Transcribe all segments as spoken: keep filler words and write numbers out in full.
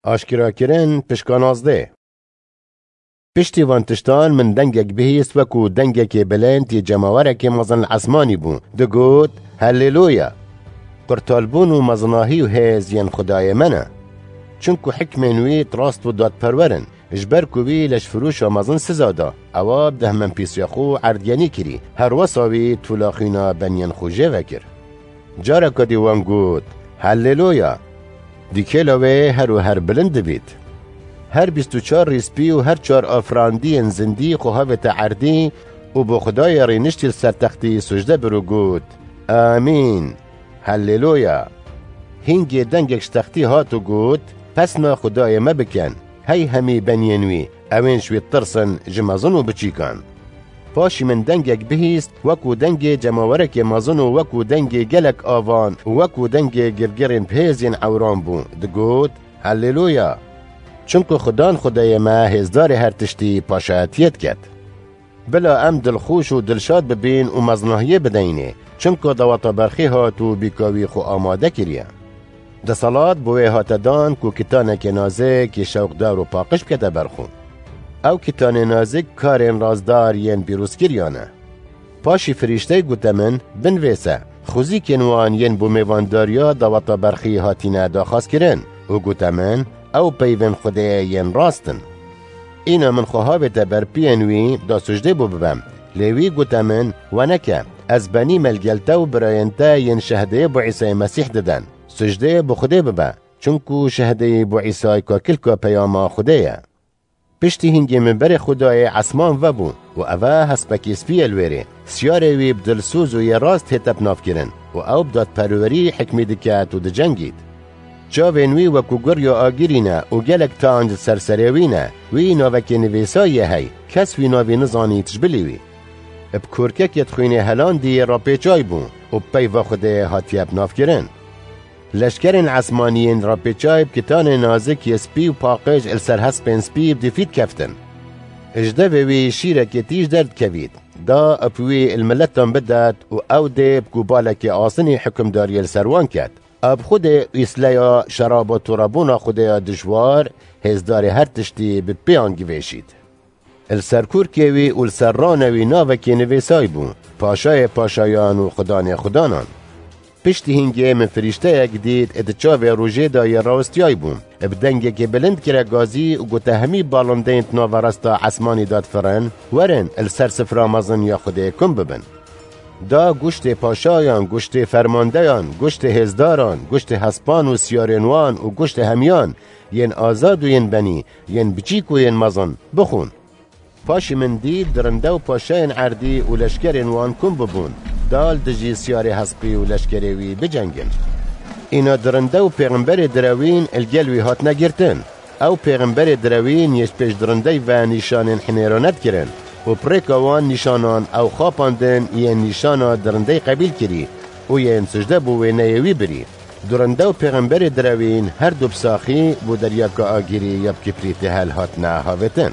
Aşkerakirin, pişka nazdeh. Piştî van tiştan min dengek bihîst, wekû dengekê bilind yê cemawerekê mezin li esmanî bû. Digot, Helleluya! Qurtalbûn û mezinahî û hêz yên Xwedayê me ne. Çimku hikmên wî rast û dadperwer in. Ji ber ku wî leşfirûşa mezin siza da, ewa bi dehmenpîsiya xwe erdgenî kirî, her wesa wî tûla xwîna beniyên xwe jê vekir. Careka dî wan got, Helleluya! Dîkêla wê her û her bilind dibît. Her bîst û çar rîspî û her çar afirandiyên zindî xwe havête erdî û bo Xwedayê rîniştî li ser textî sucde bir û got, Amîn! Helleluya! Hingê dengek ji textî hat û got, Pesna Xwedayê me bikin, hey hemî beniyên wî, ewên ji wî ditirsin, ji mezin û biçîkan. Paşî min dengek bihîst, wekû dengê cemawerekê mezin û wekû dengê gelek avan û wekû dengê girgirên bihêz yên ewran bû, digot, Helleluya! Çimku Xudan Xwedayê me hêzdarê her tiştî paşayetiyê diket. Bila em dilxweş û dilşad bibîn û mezinahiyê bideyînê, çimku daweta berxê hat û bîka wî xwe amade kiriye. Deselat bi wê hate dan ku kitanekê nazik yê şewqdar û paqij bikete ber xwe. Ew kitanê nazik karên razdar yên pîrozkiriyan e. Paşî firîşteyê gote min, Binivêse, xwezîkên wan yên bo mêvandariya daweta berxî hatine daxwazkirin û gote min, Ew peyvên Xwedê yên rast in. Îna min xwe havête ber piyên wî da sucdê bo bibem. Lê wî gote min, Weneke, ez benî me li gel te û birayên te yên şehdeyê bo Îsayê Mesîh diden. Sucdê bo Xwedê bibe, çimku şehdeyî bo Îsay kakilka peyama Xwedê ye. Piştî hingê min berê Xwedayê esman vebû û eve hespekî spî ye li wêrê. Siyarê wî bi dilsoz û yê rast hête binavkirin û ew bi dadperwerî hikmî diket û dicengît. Çavên wî wekû gurya agirî ne û gelek tanc li ser serê wî ne. Wî navekê nivîsayî ye hey, kes wî navî nizanît ji bilî wî. Bi korkekê di xwînê helandî rapêçay bû û bi peyva Xwedê hatiye binavkirin. Leşkerên esmanî yên rapêçay bi kitanê nazik yê spî û paqij li ser hespên spî bi difî dikeftin. Ji devê wî şîrekê tîj derdikevît, da bi wî li miletan bidet û ew dê bi gobalekê asinî hukimdariyê li ser wan ket. Ab Xwedê û îsleya şeraba torebûna Xwedê ya dijwar, hêzdarê her tiştî bi pêyan givêşît. Li ser kurkê wî û li ser ranê wî navekî nivîsay bû, Paşayê paşayan û Xudanê xudanan. Piştî hingê min firîşteyek dît, di çavê rojê de yê rawestiyay bû. Bi dengekê bilind kire gazî û gote hemî balindeyên di nava resta esmanî de difirin, Werin, li ser sifra mezin ya Xwedê kom bibin. Da goştê paşayan, goştê fermandeyan, goştê hêzdaran, goştê hespan û siyarên wan û goştê hemiyan, yên azad û yên benî, yên biçîk û yên mezin, bixwin. Paşî min dît dirinde û paşayên erdî û leşkerên wan kom bibûn, da li dijî siyarê hespî û leşkerê wî bicengin. Îna dirinde û pêxemberê direwîn li gel wî hatine girtin. Ew pêxemberê direwîn yê ji pêş dirindey ve nîşanên hinêrane dikirin û bi rêka wan nîşanan ew xapandin yên nîşana dirindey qebîl kirî û yên sicde bo wêneyê wî birî. Dirinde û pêxemberê direwîn her du bi saxî bo deryaka agirî ya bi kiprîtê hel hatine havêtin.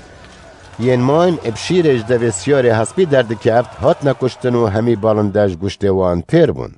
Yên man bi şîrê ji devê siyarê hespî derdikeft, hatine kuştin û hemî balinde ji goştê wan têr bûn.